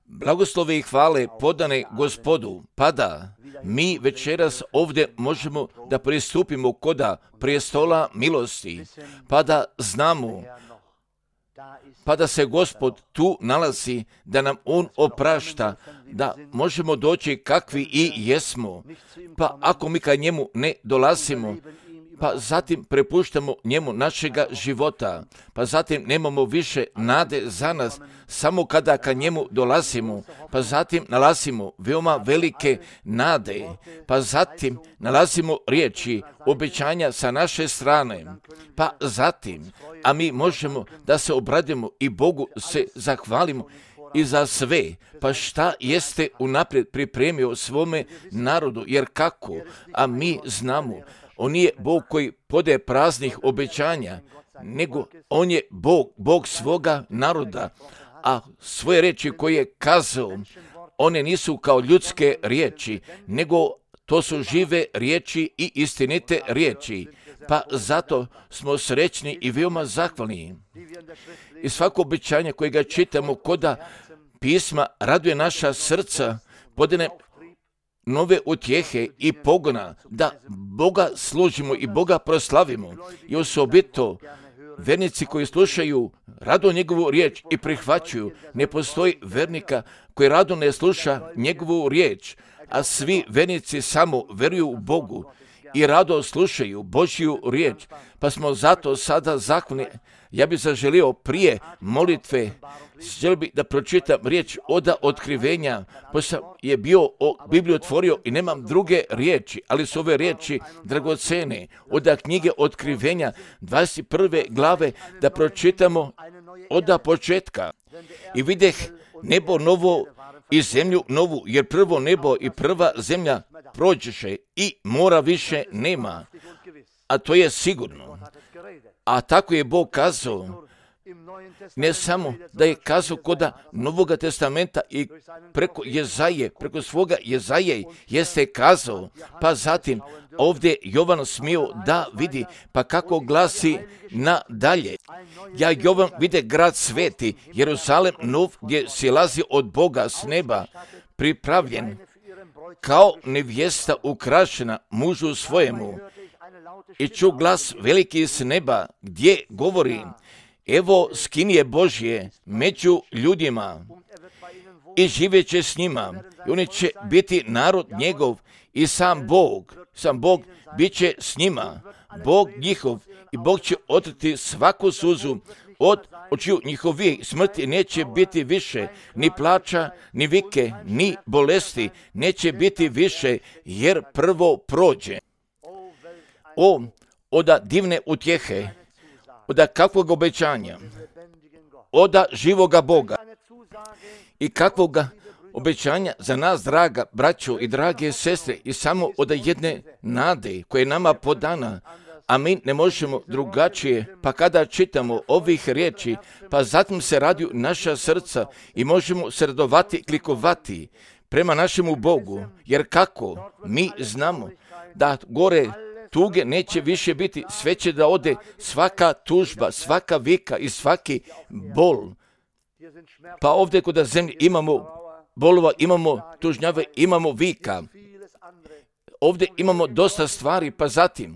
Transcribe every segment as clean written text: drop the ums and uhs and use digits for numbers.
Blagoslove i hvale podane Gospodu, pa da mi večeras ovdje možemo da pristupimo koda prestola milosti, pa da znamo, pa da se Gospod tu nalazi, da nam On oprašta, da možemo doći kakvi i jesmo. Pa ako mi ka njemu ne dolazimo, pa zatim prepuštamo njemu našega života, pa zatim nemamo više nade za nas, samo kada ka njemu dolazimo, pa zatim nalazimo veoma velike nade, pa zatim nalazimo riječi, obećanja sa naše strane, pa zatim, a mi možemo da se obradimo i Bogu se zahvalimo i za sve, pa šta jeste unaprijed pripremio svome narodu, jer kako, a mi znamo, On je Bog koji podaje praznih obećanja, nego On je Bog svoga naroda, a svoje riječi koje je kazao, one nisu kao ljudske riječi, nego to su žive riječi i istinite riječi, pa zato smo srećni i veoma zahvalni. I svako obećanje koje ga čitamo koda pisma raduje naša srca, podane nove utjehe i pogona da Boga služimo i Boga proslavimo. I osobito vernici koji slušaju rado njegovu riječ i prihvaćuju. Ne postoji vernika koji rado ne sluša njegovu riječ, a svi vernici samo veruju u Bogu i rado slušaju Božju riječ. Pa smo zato sada zahvalni. Ja bih zaželio prije molitve, želio bih da pročitam riječ oda otkrivenja, pošto je bio Bibliju otvorio i nemam druge riječi, ali su ove riječi dragocene, oda knjige otkrivenja 21. glave, da pročitamo oda početka. I videh nebo novo i zemlju novu, jer prvo nebo i prva zemlja prođeše i mora više nema, a to je sigurno. A tako je Bog kazao, ne samo da je kazao koda Novoga testamenta i preko svoga Jezaje jeste kazao, pa zatim ovdje Jovan smio da vidi, pa kako glasi nadalje. Ja Jovan vide grad sveti, Jeruzalem nov, gdje silazi od Boga s neba, pripravljen kao nevjesta ukrašena mužu svojemu. I ču glas veliki s neba, gdje govori, evo skinje Božje među ljudima i živjeće s njima. I oni će biti narod njegov i sam Bog bit će s njima, Bog njihov, i Bog će otrti svaku suzu od očiju njihovih. Smrti neće biti više, ni plača, ni vike, ni bolesti, neće biti više, jer prvo prođe. Oda divne utjehe, oda kakvog obećanja, oda živoga Boga i kakvoga obećanja za nas, draga braćo i drage sestre, i samo oda jedne nade koja je nama podana, a mi ne možemo drugačije, pa kada čitamo ovih riječi, pa zatim se radiju naša srca i možemo se radovati, klikovati prema našemu Bogu, jer kako mi znamo da gore tuge neće više biti, sve će da ode svaka tužba, svaka vika i svaki bol. Pa ovdje kod zemlje imamo bolova, imamo tužnjave, imamo vika. Ovdje imamo dosta stvari, pa zatim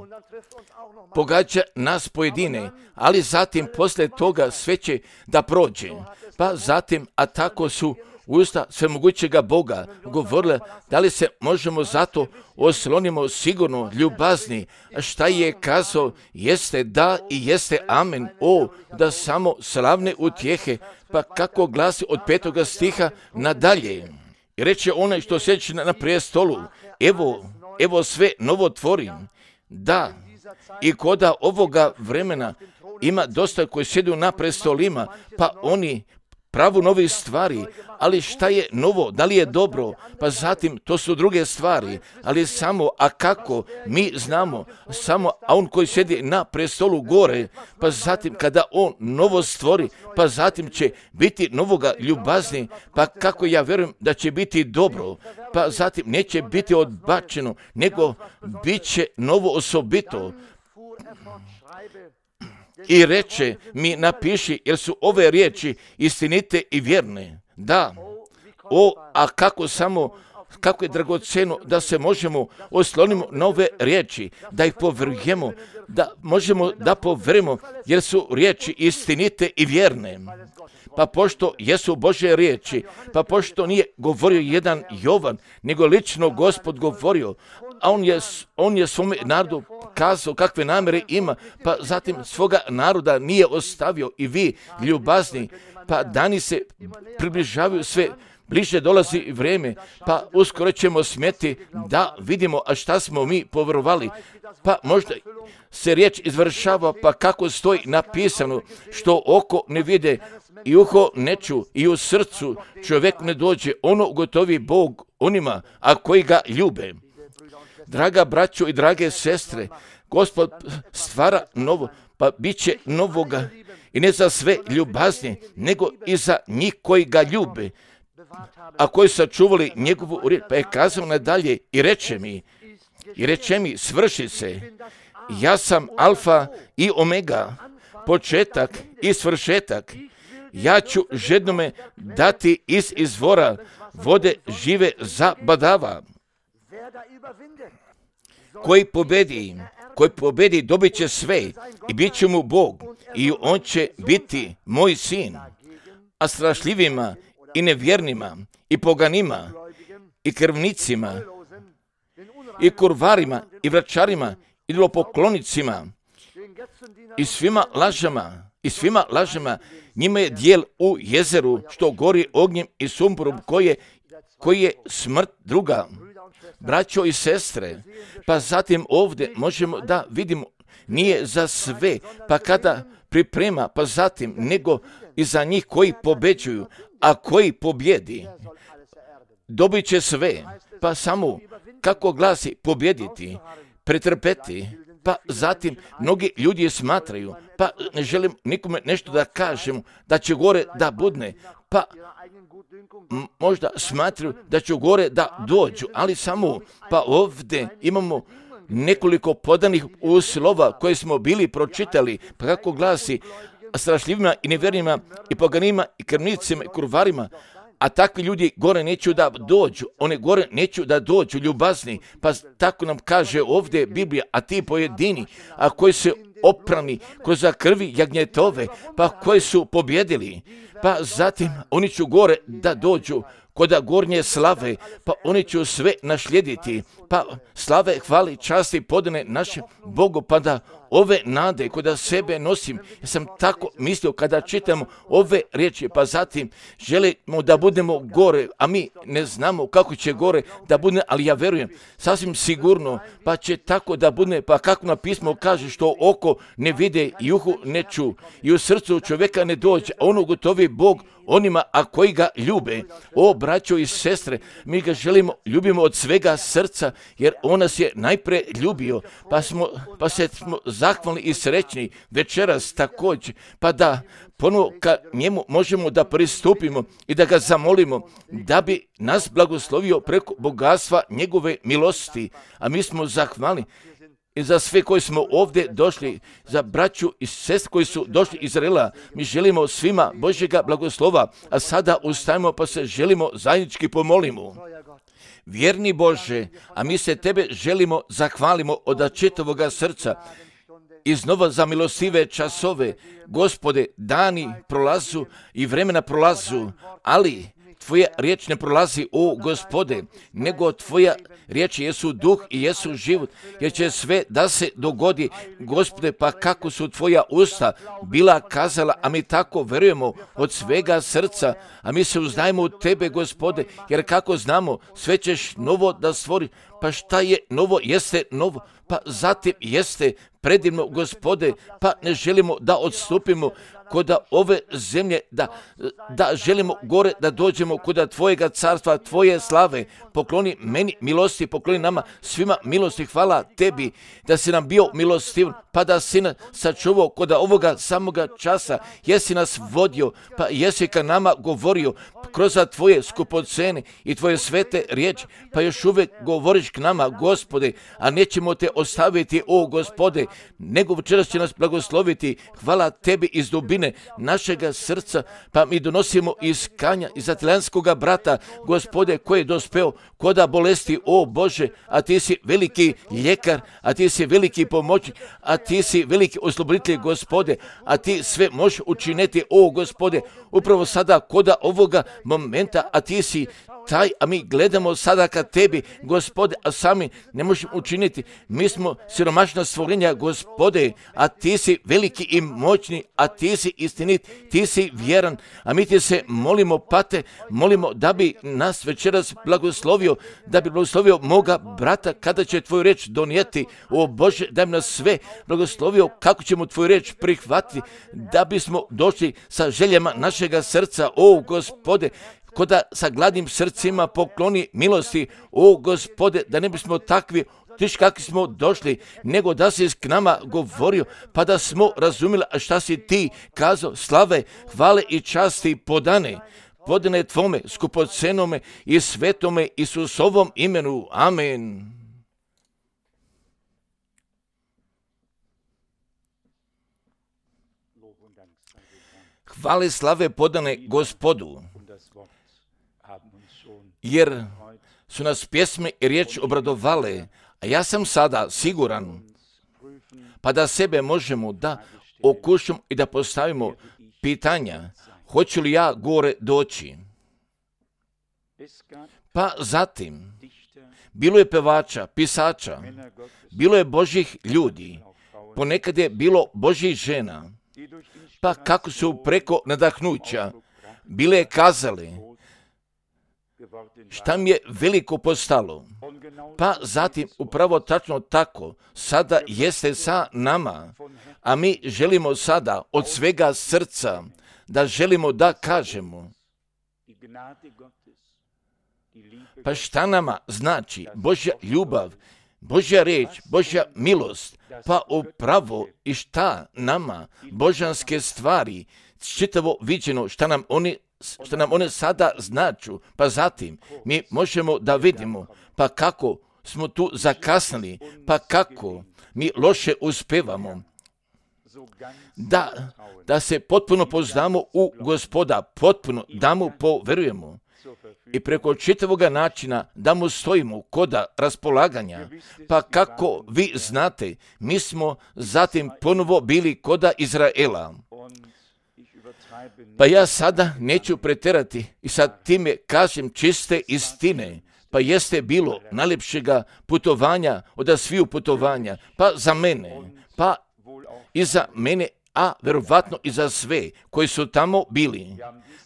pogađa nas pojedine, ali zatim poslije toga sve će da prođe. Pa zatim, a tako su usta svemogućega Boga govorile, da li se možemo zato oslonimo sigurno, ljubazni, a šta je kazao, jeste da i jeste amen, da samo slavne utjehe, pa kako glasi od 5. stiha nadalje. I reče onaj što sjeći na prijestolu, evo sve novo tvorim, da, i koda ovoga vremena ima dosta koji sjedu na prestolima, pa oni pravu novih stvari, ali šta je novo, da li je dobro, pa zatim to su druge stvari, ali samo, a kako, mi znamo, samo, a on koji sjedi na prestolu gore, pa zatim kada on novo stvori, pa zatim će biti novoga ljubazni, pa kako ja vjerujem da će biti dobro, pa zatim neće biti odbačeno, nego bit će novo osobito. i reče mi napiši, jer su ove riječi istinite i vjerne. Da, a kako je dragoceno da se možemo oslonimo na ove riječi, da ih povjerujemo, da možemo da povjerujemo, jer su riječi istinite i vjerne. Pa pošto jesu Božje riječi, pa pošto nije govorio jedan Jovan, nego lično Gospod govorio, a on je svome narodu kazao kakve namjere ima, pa zatim svoga naroda nije ostavio. I vi, ljubazni, pa dani se približavaju, sve bliže dolazi vrijeme, pa uskoro ćemo smjeti da vidimo, a šta smo mi povjerovali. Pa možda se riječ izvršava, pa kako stoji napisano, što oko ne vide i uho ne ču i u srcu čovjek ne dođe, ono ugotovi Bog onima, a koji ga ljube. Draga braćo i drage sestre, Gospod stvara novo, pa bit će novoga i ne za sve ljubaznije, nego i za njih koji ga ljube, a koji su čuvali njegovu riječ. Pa je kazao nadalje i reče mi, svrši se, ja sam alfa i omega, početak i svršetak. Ja ću žednome dati iz izvora vode žive zabadava. Koji pobedi dobit će sve i bit će mu Bog i on će biti moj sin. A strašljivima i nevjernima i poganima i krvnicima i kurvarima i vračarima i idolopoklonicima i svima lažama njima je dijel u jezeru što gori ognjem i sumporom koji je smrt druga. Braćo i sestre, pa zatim ovdje možemo da vidimo, nije za sve, pa kada priprema, pa zatim nego i za njih koji pobeđuju, a koji pobjedi, dobit će sve, pa samo kako glasi pobjediti, pretrpeti, pa zatim mnogi ljudi smatraju, pa ne želim nikome nešto da kažem, da će gore da budne, pa možda smatraju da će gore da dođu, ali samo, pa ovdje imamo nekoliko podanih uslova koje smo bili pročitali, pa kako glasi, strašljivima i nevjernima i poganima i krvnicima i kurvarima, a takvi ljudi gore neću da dođu, one gore neću da dođu, ljubazni, pa tako nam kaže ovdje Biblija, a ti pojedini, a koji se oprani kroz krvi jagnjetove, pa koji su pobjedili, pa zatim oni će gore da dođu koda gornje slave, pa oni će sve našlijediti, pa slave, hvali, časti, podane našem Bogu, pa da ove nade koda sebe nosim, ja sam tako mislio kada čitamo ove riječi, pa zatim želimo da budemo gore, a mi ne znamo kako će gore da bude, ali ja verujem, sasvim sigurno, pa će tako da bude, pa kako na pismo kaže, što oko ne vide i uhu ne ču i u srcu čovjeka ne dođe, a ono gotovi Bog onima, a koji ga ljube. O, braćo i sestre, mi ga ljubimo od svega srca, jer on nas je najpre ljubio, pa se smo zahvalni i srećni večeras također, pa da ponovo ka njemu možemo da pristupimo i da ga zamolimo da bi nas blagoslovio preko bogatstva njegove milosti, a mi smo zahvalni i za sve koji smo ovdje došli, za braću i sestre koji su došli iz Izraela. Mi želimo svima Božjega blagoslova, a sada ustajemo pa se želimo zajednički pomolimo. Vjerni Bože, a mi se Tebe želimo zahvalimo od čitavoga srca iznova za milostive časove. Gospode, dani prolazu i vremena prolazu, ali Tvoja riječ ne prolazi, o Gospode, nego Tvoja riječ jesu duh i jesu život, jer će sve da se dogodi, Gospode, pa kako su Tvoja usta bila kazala, a mi tako verujemo od svega srca, a mi se uzdajemo u Tebe, Gospode, jer kako znamo, sve ćeš novo da stvori, pa šta je novo, jeste novo, pa zatim jeste predivno, Gospode, pa ne želimo da odstupimo koda ove zemlje, da želimo gore da dođemo koda Tvojega carstva, Tvoje slave. Pokloni meni milosti, pokloni nama svima milosti. Hvala Tebi da si nam bio milostiv, pa da si nas sačuvao koda ovoga samoga časa. Jesi nas vodio, pa jesi ka nama govorio, kroz tvoje skupocene i tvoje svete riječi, pa još uvijek govoriš k nama, Gospode, a nećemo te ostaviti, o Gospode, nego večeras će nas blagosloviti. Hvala tebi iz dubine našega srca, pa mi donosimo iz Kanja, iz atlanskoga brata, Gospode, koji je dospeo koda bolesti, o Bože, a ti si veliki ljekar, a ti si veliki pomoćnik, a ti si veliki osloboditelj, Gospode, a ti sve možeš učiniti, o Gospode, upravo sada koda ovoga momenta, a ti si taj, a mi gledamo sada ka tebi, Gospode, a sami ne možemo učiniti. Mi smo siromašna stvorenja, Gospode, a ti si veliki i moćni, a ti si istinit, ti si vjeran, a mi ti se molimo, Pate, molimo da bi nas večeras blagoslovio, da bi blagoslovio moga brata kada će tvoju reč donijeti. O Bože, da bi nas sve blagoslovio kako ćemo tvoju reč prihvatiti, da bismo došli sa željama našega srca, o Gospode, koda sa gladnim srcima pokloni milosti, o Gospode, da ne bismo takvi tiš kakvi smo došli, nego da si k nama govorio, pa da smo razumjeli šta si ti kazao. Slave, hvale i časti podane tvome skupocenome i svetome Isusovom imenu. Amen. Hvale, slave podane Gospodu, jer su nas pjesme i riječ obradovale, a ja sam sada siguran, pa da sebe možemo da okušamo i da postavimo pitanja, hoću li ja gore doći? Pa zatim, bilo je pevača, pisača, bilo je Božjih ljudi, ponekad je bilo Božjih žena, pa kako su preko nadahnuća bile kazale, šta mi je veliko postalo, pa zatim upravo tačno tako sada jeste sa nama, a mi želimo sada od svega srca da želimo da kažemo, pa šta nama znači Božja ljubav, Božja riječ, Božja milost, pa upravo i šta nama božanske stvari, čitavo viđeno, šta nam one sada značu, pa zatim mi možemo da vidimo, pa kako smo tu zakasnili, pa kako mi loše uspevamo, da se potpuno poznamo u Gospoda, potpuno da mu poverujemo i preko čitavoga načina da mu stojimo koda raspolaganja, pa kako vi znate, mi smo zatim ponovo bili koda Izraela. Pa ja sada neću preterati i sad time kažem čiste istine, pa jeste bilo najljepšega putovanja od sviju putovanja, pa za mene, pa i za mene, a verovatno i za sve koji su tamo bili.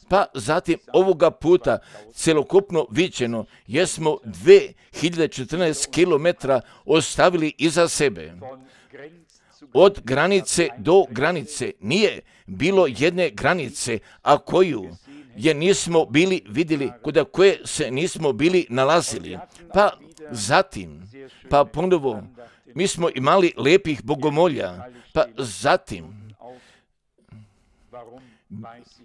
Pa zatim ovoga puta celokupno viđeno jesmo 2014 km ostavili iza sebe. Od granice do granice nije bilo jedne granice, a koju je nismo bili vidjeli, kod koje se nismo bili nalazili. Pa zatim, pa ponovo, mi smo imali lijepih bogomolja, pa zatim,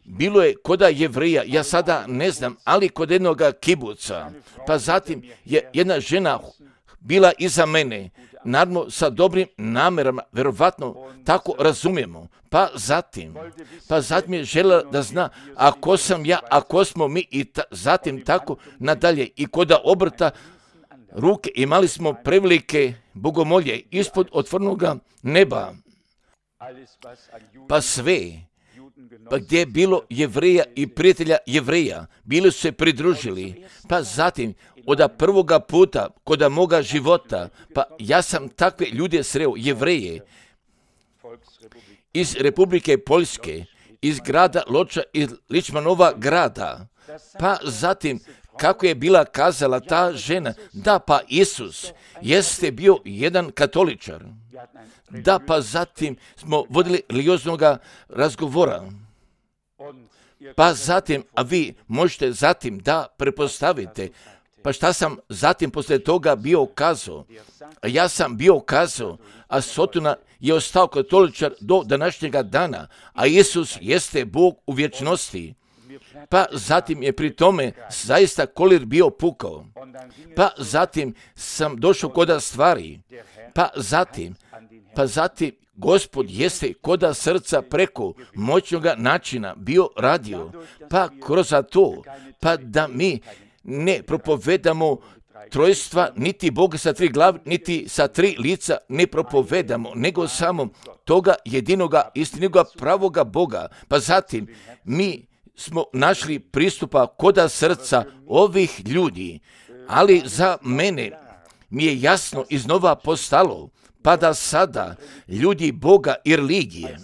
bilo je koda Jevreja, ja sada ne znam, ali kod jednog kibuca, pa zatim je jedna žena bila iza mene, naravno sa dobrim namerama, verovatno tako razumijemo, pa zatim je željela da zna ako sam ja, ako smo mi i zatim tako nadalje i koda obrta ruke imali smo prevelike bogomolje ispod otvorenoga neba, pa sve, pa gdje je bilo Jevreja i prijatelja Jevreja, bili su se pridružili, pa zatim od prvoga puta koda moga života, pa ja sam takve ljude sreo, Jevreje, iz Republike Poljske, iz grada Loča, iz Ličmanova grada, pa zatim kako je bila kazala ta žena, da pa Isus jeste bio jedan katoličar, da pa zatim smo vodili religioznoga razgovora, pa zatim, a vi možete zatim da prepostavite, pa šta sam zatim poslije toga bio kazao? Ja sam bio kazao, a Sotona je ostao katoličar do današnjega dana, a Isus jeste Bog u vječnosti. pa zatim je pri tome zaista kolir bio pukao, pa zatim sam došao koda stvari, pa zatim Gospod jeste koda srca preko moćnoga načina bio radio, pa kroz to, pa da mi ne propovedamo trojstva, niti Boga sa 3 glave, niti sa 3 lica ne propovedamo, nego samo toga jedinoga, istinoga, pravoga Boga. Pa zatim mi smo našli pristupa koda srca ovih ljudi, ali za mene mi je jasno iznova postalo, pa da sada ljudi Boga i religije,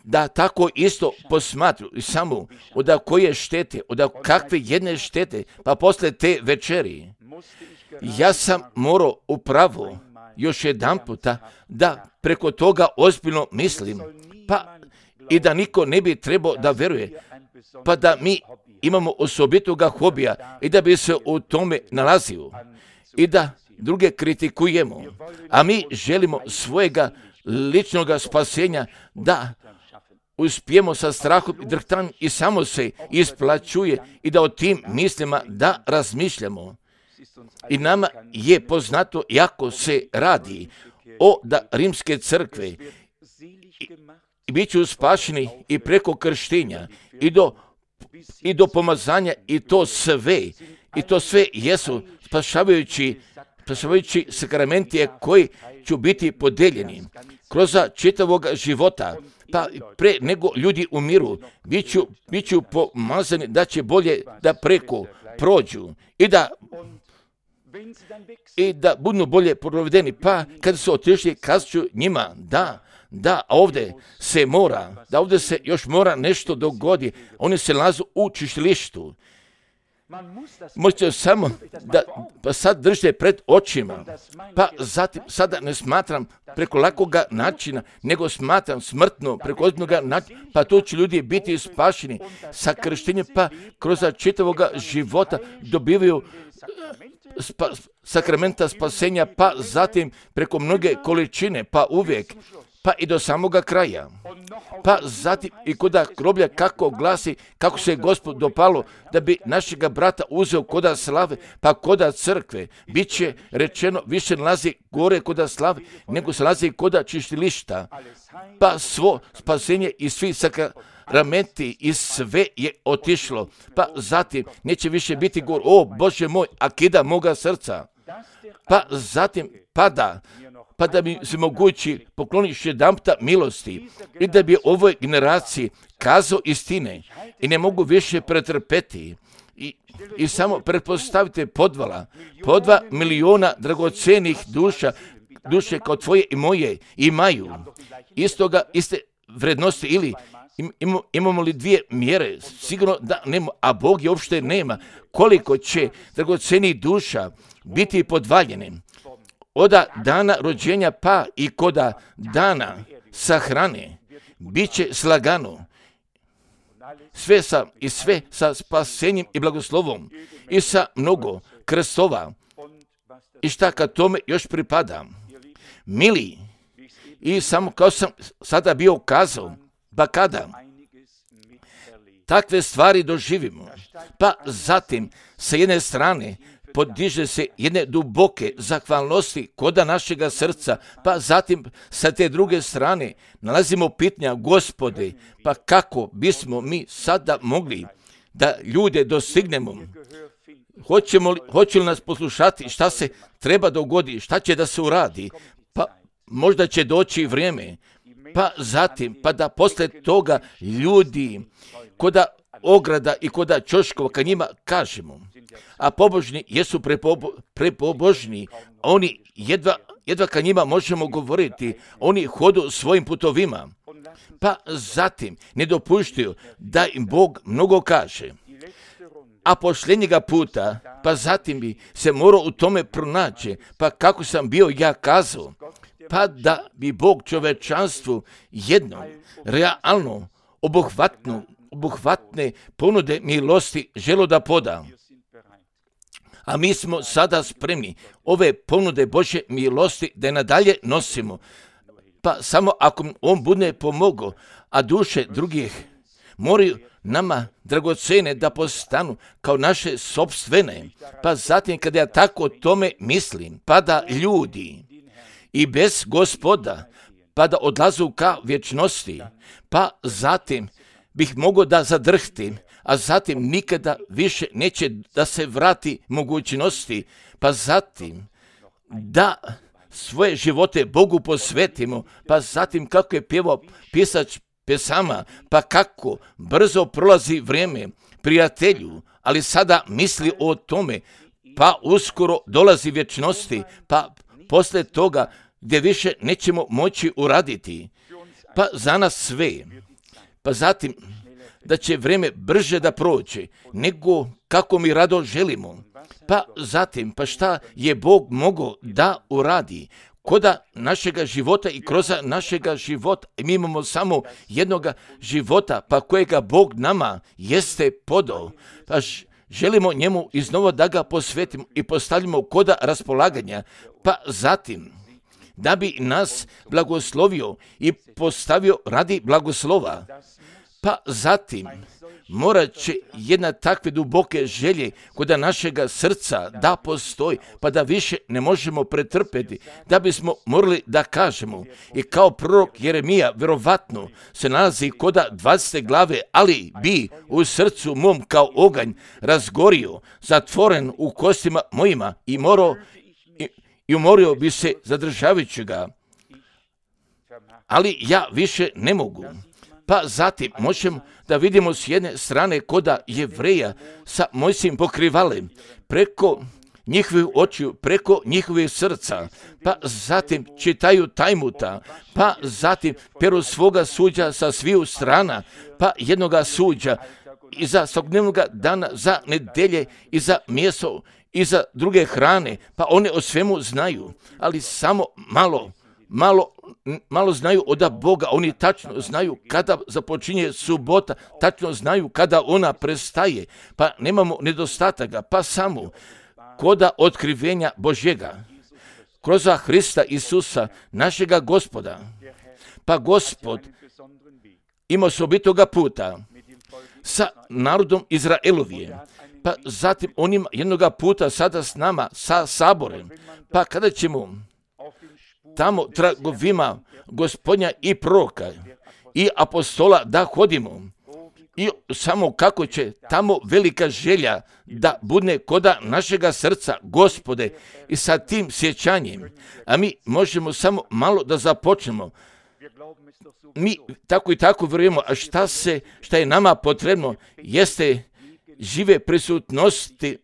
da tako isto posmatru samo od koje štete, od kakve jedne štete, pa posle te večeri, ja sam morao upravo još jedan puta da preko toga ozbiljno mislim, pa i da niko ne bi trebao da veruje, pa da mi imamo osobitoga hobija i da bi se u tome nalazio i da druge kritikujemo, a mi želimo svojega ličnog spasenja da uspijemo sa strahom i drhtanjem i samo se isplaćuje i da o tim mislima da razmišljamo. I nama je poznato jako se radi o da rimske crkve i bit ću spašeni i preko krštenja i do pomazanja i to sve jesu spašavajući sakramenti koji će biti podeljeni kroz čitavog života. Pa pre nego ljudi umiru, bit ću pomazani da će bolje da preko prođu i da budu bolje provedeni. Pa kada su otišli, kazat ću njima da ovdje se još mora nešto dogodi. Oni se nalaze u čišćilištu. Možete samo da sad držite pred očima, pa zatim sada ne smatram preko lakoga načina, nego smatram smrtno preko ozbiljnoga načina, pa tu će ljudi biti spašeni sa krštenjem, pa kroz čitavoga života dobivaju sakramenta spasenja, pa zatim preko mnoge količine, pa uvijek, pa i do samoga kraja. Pa zatim i koda groblja kako glasi, kako se Gospod dopalo da bi našega brata uzeo koda slave, pa koda crkve. Biće rečeno više nalazi gore koda slave, nego se nalazi koda čišćilišta. Pa svo spasenje i svi sakramenti i sve je otišlo. Pa zatim neće više biti govor, o Bože moj, akida moga srca. Pa zatim pa da bi se mogući pokloniš jedanputa milosti i da bi ovoj generaciji kazao istine i ne mogu više pretrpeti. I samo pretpostavite po 2 miliona dragocenih duše kao tvoje i moje imaju iste vrednosti ili imamo li 2 mjere? Sigurno da nema, a Bog je uopšte nema. Koliko će dragocenih duša biti podvaljene od dana rođenja pa i koda dana sahrane, bit će slagano. Sve sa spasenjem i blagoslovom i sa mnogo krstova. I šta kad tome još pripada? Mili, i samo kao sam sada bio kazao, pa kada takve stvari doživimo, pa zatim sa jedne strane podiže se jedne duboke zahvalnosti koda našega srca, pa zatim sa te druge strane nalazimo pitanja, Gospode, pa kako bismo mi sada mogli da ljude dostignemo? Hoće li nas poslušati šta se treba dogodi, šta će da se uradi? Pa možda će doći vrijeme, pa zatim, pa da posle toga ljudi koda ograda i koda ćoškova ka njima kažemo, a pobožni jesu prepobožni, oni jedva ka njima možemo govoriti, oni hodu svojim putovima, pa zatim ne dopuštaju da im Bog mnogo kaže. A posljednjega puta, pa zatim bi se morao u tome pronaći, pa kako sam bio ja kazao, pa da bi Bog čovečanstvu jedno, realno, obuhvatne ponude milosti želo da poda. A mi smo sada spremni ove ponude Božje milosti da je nadalje nosimo. Pa samo ako on bude pomogao, a duše drugih moraju nama dragocene da postanu kao naše sopstvene. Pa zatim kada ja tako o tome mislim, pa da ljudi i bez Gospoda, pa da odlazu ka vječnosti, pa zatim bih mogao da zadrhtim, a zatim nikada više neće da se vrati mogućnosti, pa zatim da svoje živote Bogu posvetimo, pa zatim kako je pjevao pisač pesama, pa kako brzo prolazi vrijeme, prijatelju, ali sada misli o tome, pa uskoro dolazi vječnosti, pa posle toga gdje više nećemo moći uraditi, pa za nas sve, pa zatim da će vrijeme brže da prođe, nego kako mi rado želimo. Pa zatim, pa šta je Bog mogao da uradi? Koda našega života i kroz našega života, mi imamo samo jednoga života, pa kojega Bog nama jeste podao, pa želimo njemu iznova da ga posvetimo i postavimo koda raspolaganja, pa zatim da bi nas blagoslovio i postavio radi blagoslova, pa zatim morat će jedna takve duboke želje kod našega srca da postoji, pa da više ne možemo pretrpeti, da bismo morali da kažemo. I kao prorok Jeremija verovatno se nalazi kod 20. glave, ali bi u srcu mom kao oganj razgorio, zatvoren u kostima mojima i umorio bi se zadržavajući ga. Ali ja više ne mogu. Pa zatim možemo da vidimo s jedne strane koda Jevreja sa Mojsijim pokrivalem, preko njihovih očiju, preko njihovih srca, pa zatim čitaju Tajmuta, pa zatim peru svoga suđa sa sviju strana, pa jednoga suđa i za svakodnevnog dana, za nedelje i za mjesto i za druge hrane, pa one o svemu znaju, ali samo malo znaju od Boga. Oni tačno znaju kada započinje subota, tačno znaju kada ona prestaje, pa nemamo nedostataka, pa samo koda otkrivenja Božjega kroz Hrista Isusa, našega Gospoda. Pa Gospod ima osobitoga puta sa narodom Izraelovije, pa zatim on ima jednoga puta sada s nama, sa saborem, pa kada ćemo tamo tragovima Gospodnja i proroka i apostola da hodimo, i samo kako će tamo velika želja da bude koda našega srca, Gospode, i sa tim sjećanjem, a mi možemo samo malo da započnemo. Mi tako i tako vjerujemo, a šta je nama potrebno jeste žive prisutnosti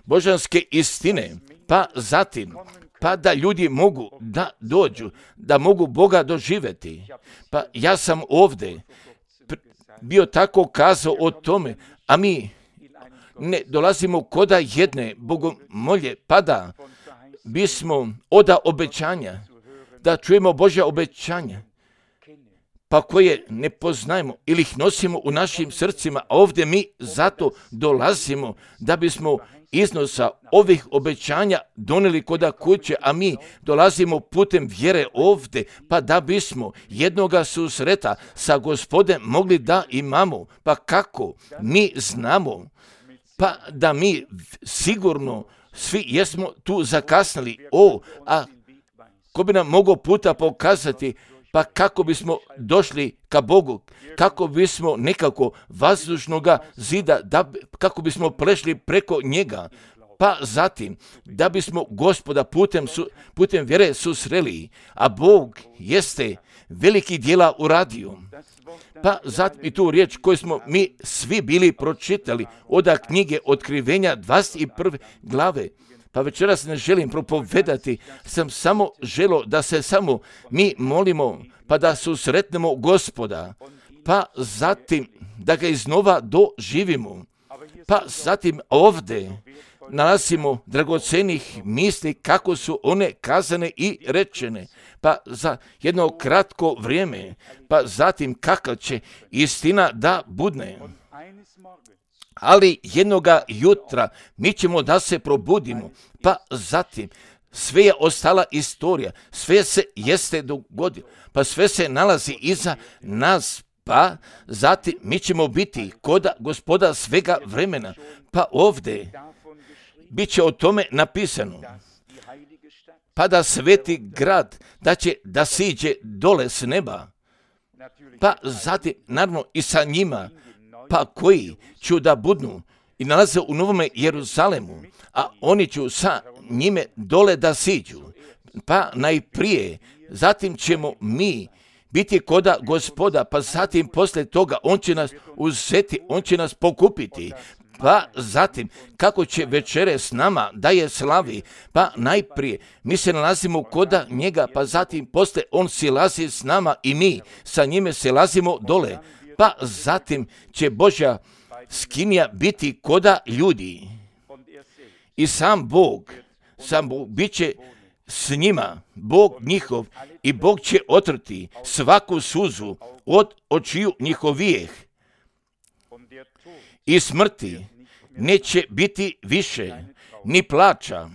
božanske istine, pa zatim pa da ljudi mogu da dođu, da mogu Boga doživjeti. Pa ja sam ovdje bio tako kazao o tome, a mi ne dolazimo koda jedne bogomolje, pa da bismo oda obećanja, da čujemo Božja obećanja, pa koje ne poznajemo ili ih nosimo u našim srcima, a ovdje mi zato dolazimo da bismo iznosa ovih obećanja donijeli koda kuće, a mi dolazimo putem vjere ovdje, pa da bismo jednoga susreta sa Gospodem mogli da imamo. Pa kako? Mi znamo, pa da mi sigurno svi jesmo tu zakasnili. A ko bi nam mogao puta pokazati, pa kako bismo došli ka Bogu, kako bismo nekako vazdušnoga zida, kako bismo prešli preko njega, pa zatim da bismo Gospoda putem vjere susreli, a Bog jeste veliki djela uradio. Pa zatim i tu riječ koju smo mi svi bili pročitali od knjige Otkrivenja 21. glave. Pa večeras ne želim propovedati, sam samo želio da se samo mi molimo, pa da susretnemo Gospoda, pa zatim da ga iznova doživimo. Pa zatim ovdje nalazimo dragocenih misli kako su one kazane i rečene, pa za jedno kratko vrijeme, pa zatim kakva će istina da budne. Ali jednoga jutra mi ćemo da se probudimo, pa zatim sve je ostala istorija, sve se jeste dogodilo, pa sve se nalazi iza nas, Pa zatim mi ćemo biti koda Gospoda svega vremena. Pa ovdje bit će o tome napisano. Pa da sveti grad, da će da siđe dole s neba. Pa zatim, naravno, i sa njima, pa koji ću da budnu i nalaze u Novome Jeruzalemu, a oni ću sa njime dole da siđu. Pa najprije, zatim ćemo mi biti koda Gospoda, pa zatim poslije toga on će nas uzeti, on će nas pokupiti. Pa zatim, kako će večere s nama da je slavi, pa najprije mi se nalazimo koda njega, pa zatim poslije on silazi s nama i mi sa njime silazimo dole. Pa zatim će Božja skinija biti koda ljudi. I sam Bog bit će s njima, Bog njihov, i Bog će otrti svaku suzu od očiju njihovijeh. I smrti neće biti više, ni plača,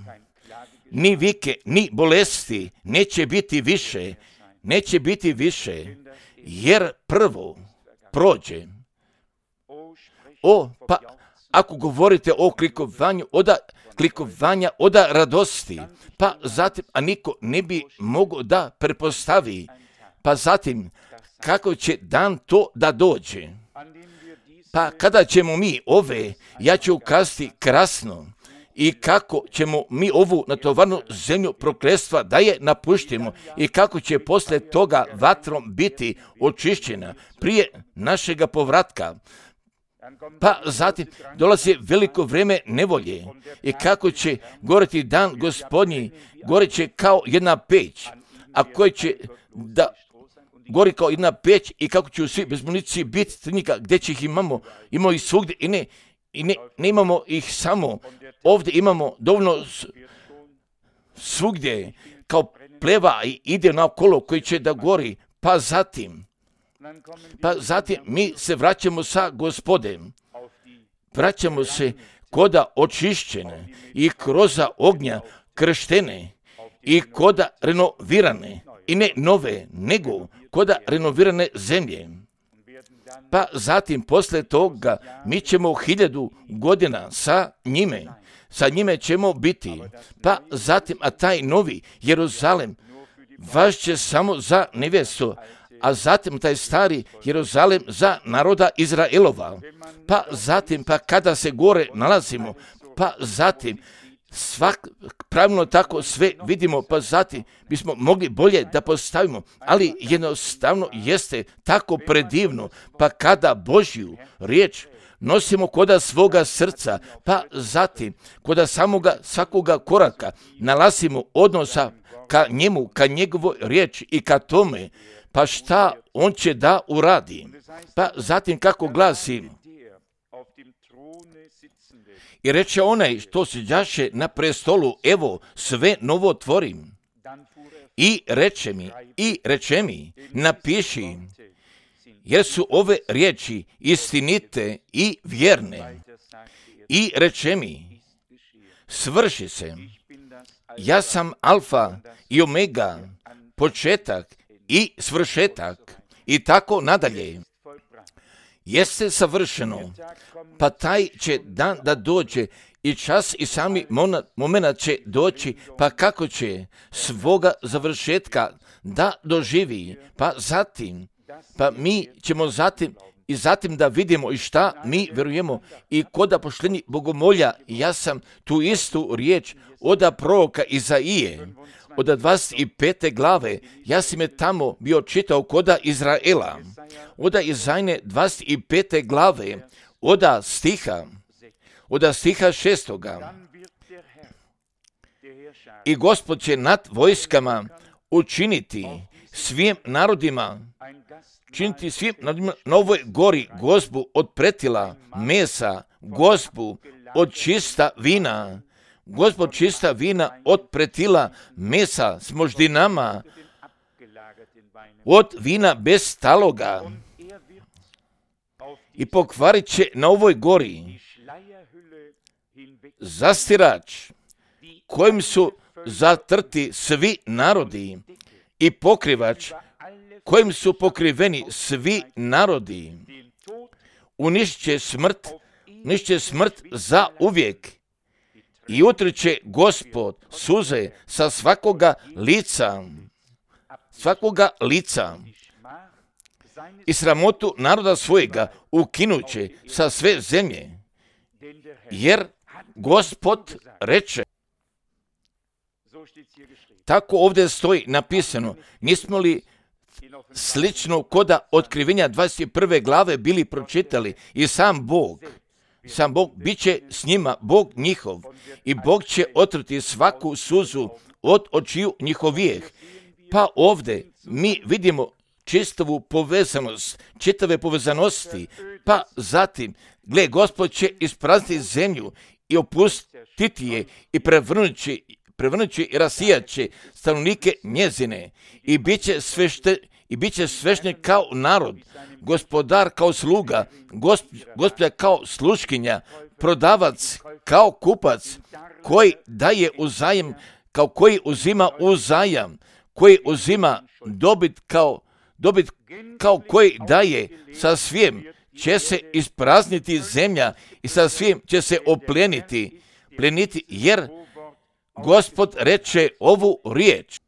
ni vike, ni bolesti, neće biti više, jer prvo prođe. Pa ako govorite o klikovanja od radosti, pa zatim, a niko ne bi mogao da pretpostavi, pa zatim, kako će dan to da dođe. Pa kada ćemo mi ja ću ukazati krasno, i kako ćemo mi ovu natovarnu zemlju prokletstva da je napuštimo i kako će poslije toga vatrom biti očišćena prije našega povratka. Pa zatim dolazi veliko vrijeme nevolje i kako će goreti dan Gospodnji, goreće kao jedna peć, a koji će da gori kao jedna peć i kako će svi bez municije biti crnika, gdje će ih imamo ih svugdje i ne imamo ih samo ovdje, imamo dovoljno svugdje kao pleva i ide naokolo koji će da gori. Pa zatim mi se vraćamo sa Gospodem, vraćamo se koda očišćene i kroz ognja krštene i koda renovirane, i ne nove, nego koda renovirane zemlje. Pa zatim poslije toga mi ćemo 1000 godina sa njime ćemo biti. Pa zatim, a taj novi Jeruzalem vaš će samo za nevjestu, a zatim taj stari Jeruzalem za naroda Izraelova. Pa zatim, pa kada se gore nalazimo, pa zatim pravilno tako sve vidimo, pa zatim bismo mogli bolje da postavimo, ali jednostavno jeste tako predivno, pa kada Božju riječ nosimo koda svoga srca, pa zatim koda svakoga koraka nalazimo odnosa ka njemu, ka njegovoj riječi i ka tome, pa šta on će da uradi. Pa zatim kako glasi: i reče onaj što siđaše na prestolu, evo sve novo tvorim. I reče mi, napiši, jer su ove riječi istinite i vjerne. I reče mi, svrši se, ja sam Alfa i Omega, početak i svršetak, i tako nadalje. Jeste savršeno, pa taj će dan da dođe i čas i sami moment će doći, pa kako će svoga završetka da doživi, pa mi ćemo zatim da vidimo i šta mi vjerujemo. I koda poštenji bogomolja, ja sam tu istu riječ od proroka Izaije, od 25. glave, ja sam je tamo bio čitao koda Izraela, od Izajne 25. glave, od stiha 6. I Gospod će nad vojskama učiniti svim narodima na ovoj gori gozbu od pretila mesa, gozbu od čista vina, Gospod čista vina od pretila mesa s moždinama, od vina bez taloga, i pokvarit će na ovoj gori zastirač kojim su zatrti svi narodi i pokrivač kojim su pokriveni svi narodi. Unišće smrt za uvijek i utriće Gospod suze sa svakoga lica i sramotu naroda svojega ukinuće sa sve zemlje, jer Gospod reče. Tako ovdje stoji napisano. Nismo li slično koda otkrivenja 21. glave bili pročitali? I sam Bog bit će s njima, Bog njihov, i Bog će otrti svaku suzu od očiju njihovijeh. Pa ovdje mi vidimo čitave povezanosti, pa zatim, gle, Gospod će isprazniti zemlju i opustiti je i prevrnući i rasijaće stanovnike njezine i bit će svešten kao narod, gospodar kao sluga, gospođa kao sluškinja, prodavac kao kupac, koji daje uzajam, kao koji uzima uzajam, koji uzima dobit kao koji daje. Sa svim će se isprazniti zemlja i sa svim će se pleniti, jer Gospod reče ovu riječ.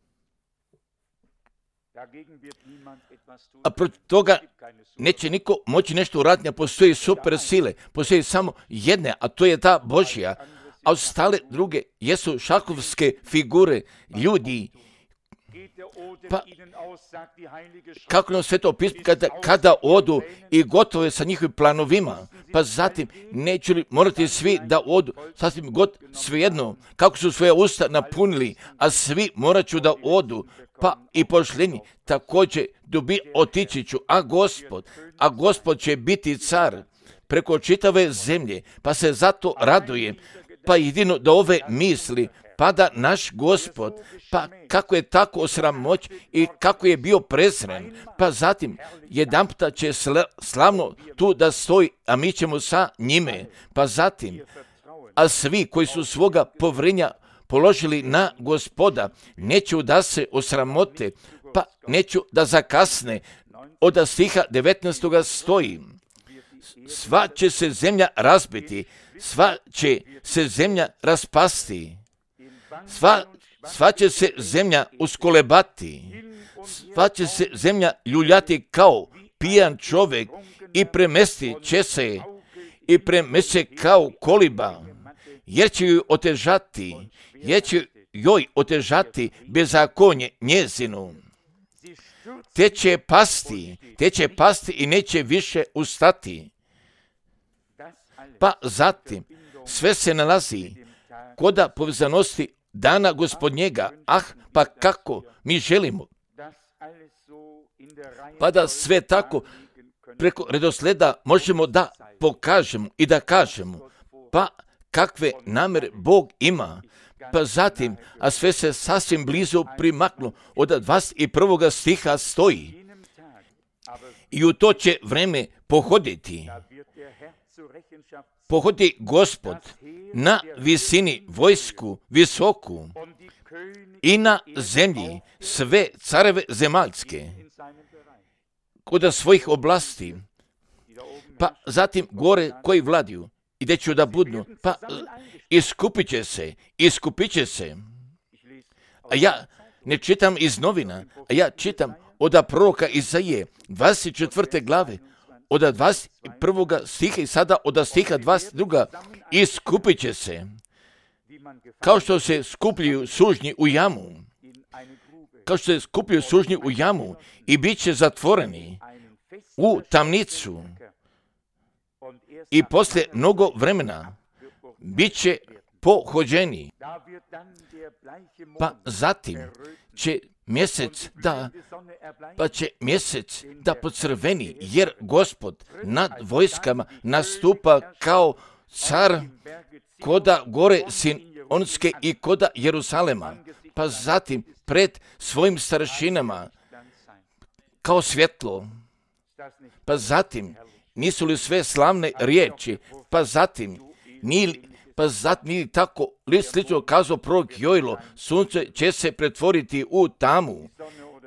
A protiv toga neće niko moći nešto uraditi, a postoji super sile, postoji samo jedne, a to je ta Božja, a ostale druge jesu šahovske figure ljudi. Pa kako nam Sveto pismo kada odu i gotovo je sa njihovim planovima, pa zatim neće li morati svi da odu, sasvim svejedno, kako su svoje usta napunili, a svi morat ću da odu, pa i pošljeni također otići ću, a Gospod će biti car preko čitave zemlje, pa se zato radujem, pa jedino da ove misli pada naš Gospod, pa kako je tako osramoć i kako je bio prezren, pa zatim jedanputa će slavno tu da stoji, a mi ćemo sa njime, pa zatim, a svi koji su svoga povrenja položili na Gospoda, neću da se osramote, pa neću da zakasne. Od stiha 19. stoji, sva će se zemlja razbiti, sva će se zemlja raspasti, sva će se zemlja uskolebati, sva će se zemlja ljuljati kao pijan čovjek i premesti će se kao koliba, jer će joj otežati bezakonje njezinu. Te će pasti i neće više ustati. Pa zatim, sve se nalazi koda povezanosti dana Gospodnjega. Pa kako mi želimo, pa da sve tako preko redosleda možemo da pokažemo i da kažemo, pa kakve namere Bog ima. Pa zatim, a sve se sasvim blizu primaklo, od 21. stiha stoji, i u to će vreme pohodi Gospod na visini vojsku visoku i na zemlji sve careve zemaljske kod svojih oblasti, pa zatim gore koji vladiju i gdje ću da budnu, pa iskupit će se. A ja ne čitam iz novina, a ja čitam od proroka Izaije 24. glave, od 21. stiha i sada od stiha 22. Iskupit će se, kao što se skupljaju sužnji u jamu, i bit će zatvoreni u tamnicu, i poslije mnogo vremena bit će pohođeni. Pa zatim će mjesec da pocrveni, jer Gospod nad vojskama nastupa kao car koda gore Sionske i koda Jerusalema, pa zatim pred svojim staršinama kao svjetlo. Pa zatim, nisu li sve slavne riječi, pa zatim nije tako slično kazao prorok Jojlo, sunce će se pretvoriti u tamu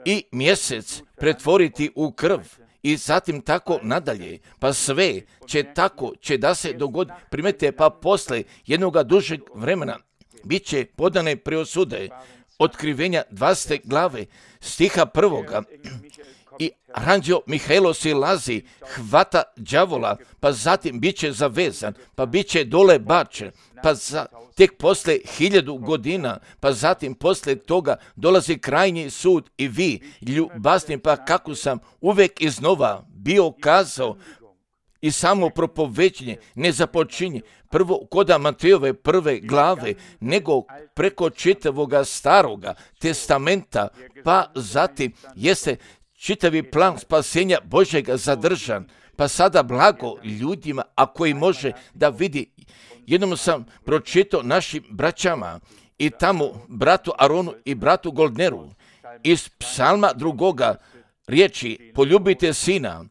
i mjesec pretvoriti u krv i zatim tako nadalje. Pa sve će da se dogodi. Primete, pa posle jednoga dužeg vremena bit će podane preosude. Otkrivenja 20. glave stiha 1. I anđeo Mihailo silazi, hvata đavola, pa zatim bit će zavezan, pa bit će dole bačen, pa tek posle 1000 godina, pa zatim posle toga dolazi krajnji sud i vi, ljubazni, pa kako sam uvek iznova bio kazao i samo propoveđenje ne započinje prvo koda Matejove 1. glave, nego preko čitavoga staroga testamenta, pa zatim jeste čitavi plan spasenja Božjega zadržan, pa sada blago ljudima, a koji može da vidi. Jednom sam pročitao našim braćama i tamo bratu Aronu i bratu Goldneru iz psalma 2. riječi: poljubite sina,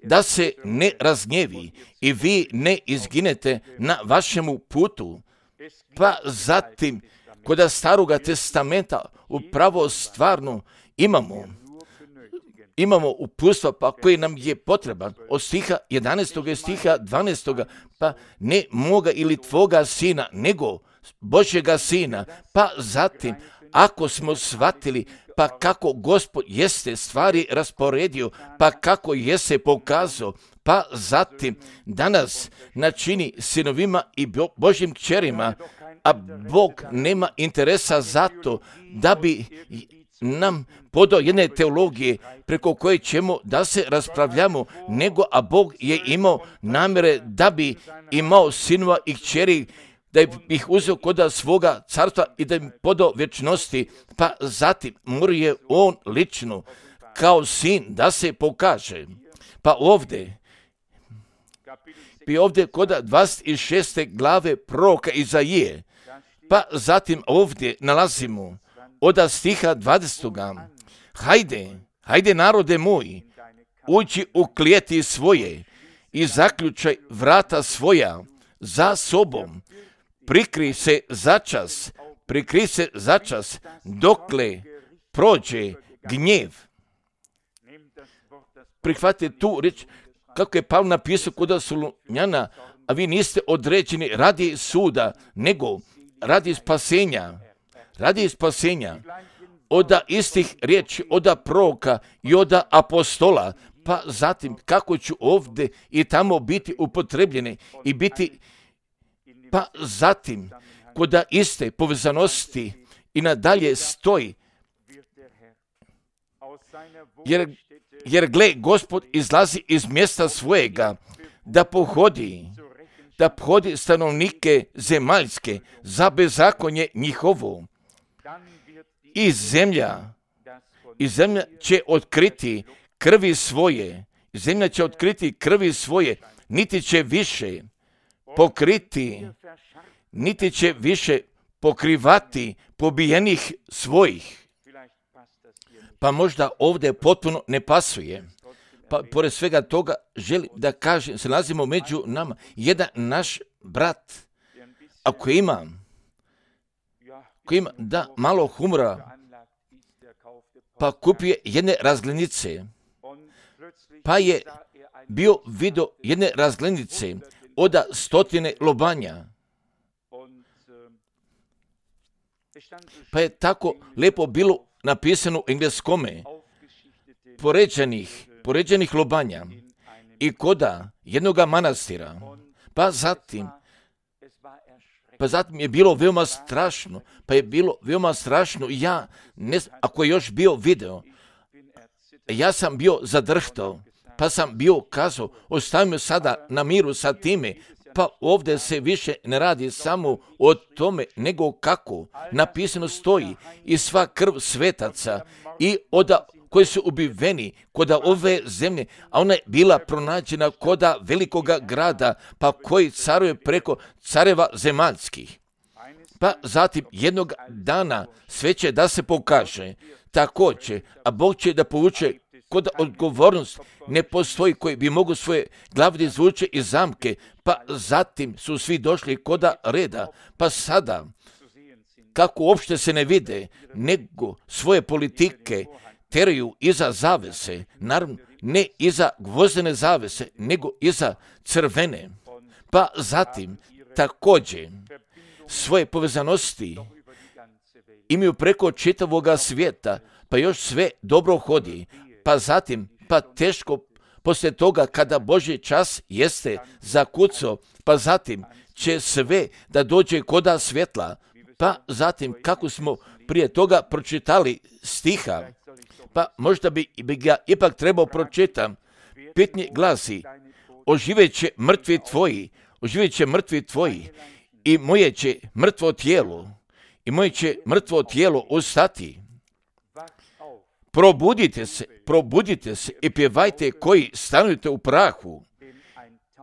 da se ne razgnjevi i vi ne izginete na vašemu putu. Pa zatim kod staroga testamenta upravo stvarno imamo uputstva pa koji nam je potreban od stiha 11. i stiha 12. pa ne moga ili tvoga sina, nego Božjega sina. Pa zatim, ako smo shvatili pa kako Gospod jeste stvari rasporedio, pa kako jeste pokazao, pa zatim danas načini sinovima i Božjim kćerima, a Bog nema interesa za to da bi nam podao jedne teologije preko koje ćemo da se raspravljamo, nego a Bog je imao namjere da bi imao sinova i kćeri, da ih uzeo kod svoga carstva i da im podao vječnosti, pa zatim mora je on lično kao sin da se pokaže. Pa ovdje kod 26. glave proroka Izaije, pa zatim ovdje nalazimo od stiha 20. Hajde narode moj, uđi u klijeti svoje i zaključaj vrata svoja za sobom. Prikri se začas, dokle prođe gnjev. Prihvatite tu riječ, kako je Pavle napisao kod Solunjana, a vi niste određeni radi suda, nego radi spasenja. Od istih riječi, od proroka i od apostola, pa zatim kako ću ovdje i tamo biti upotrebljeni i biti, pa zatim kod iste povezanosti i nadalje stoji, jer gle, Gospod izlazi iz mjesta svojega da pohodi stanovnike zemaljske za bezakonje njihovo. I zemlja će otkriti krvi svoje, niti će više pokriti, niti će više pokrivati pobijenih svojih. Pa možda ovdje potpuno ne pasuje. Pa pored svega toga želim da kažem, se nalazimo među nama. Jedan naš brat, ako ima da malo humora, pa kupuje jedne razglednice, pa je bio vidio jedne razglednice od 100 lobanja. Pa je tako lijepo bilo napisano u engleskome, poređenih lobanja i koda jednoga manastira. Pa zatim je bilo veoma strašno, ja ne znam, ako je još bio video, ja sam bio zadrhtao, pa sam bio kazao, ostavimo sada na miru sa time, pa ovdje se više ne radi samo o tome, nego kako napisano stoji i sva krv svetaca i od koji su ubiveni kod ove zemlje, a ona je bila pronađena kod velikoga grada, pa koji caruje preko careva zemaljskih. Pa zatim jednog dana sve će da se pokaže, također, a Bog će da povuče kod odgovornost ne postoji koji bi mogu svoje glavne izvuče iz zamke, pa zatim su svi došli kod reda, pa sada, kako uopšte se ne vide, nego svoje politike teraju iza zavese, naravno ne iza gvozdene zavese, nego iza crvene. Pa zatim također svoje povezanosti imaju preko čitavoga svijeta, pa još sve dobro hodi. Pa zatim, pa teško poslije toga kada Božji čas jeste zakucao, pa zatim će sve da dođe koda svjetla. Pa zatim, kako smo prije toga pročitali stiha, pa možda bi ga ipak trebao pročitam. Pitanje glasi, oživjet će mrtvi tvoji i moje će mrtvo tijelo ustati. Probudite se i pjevajte koji stanujete u prahu,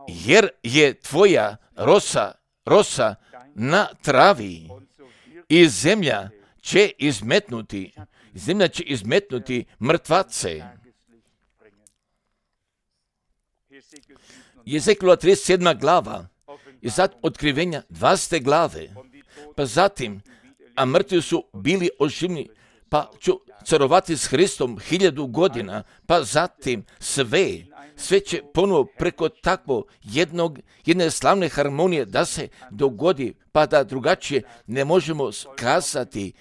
jer je tvoja rosa na travi i zemlja će izmetnuti mrtvace. Jezekijela 37. glava i zatim otkrivenja 20. glave. Pa zatim, a mrtvi su bili oživljeni, pa ću carovati s Hristom 1000 godina, pa zatim sve će ponovo preko takvo jedne slavne harmonije da se dogodi, pa da drugačije ne možemo kazati.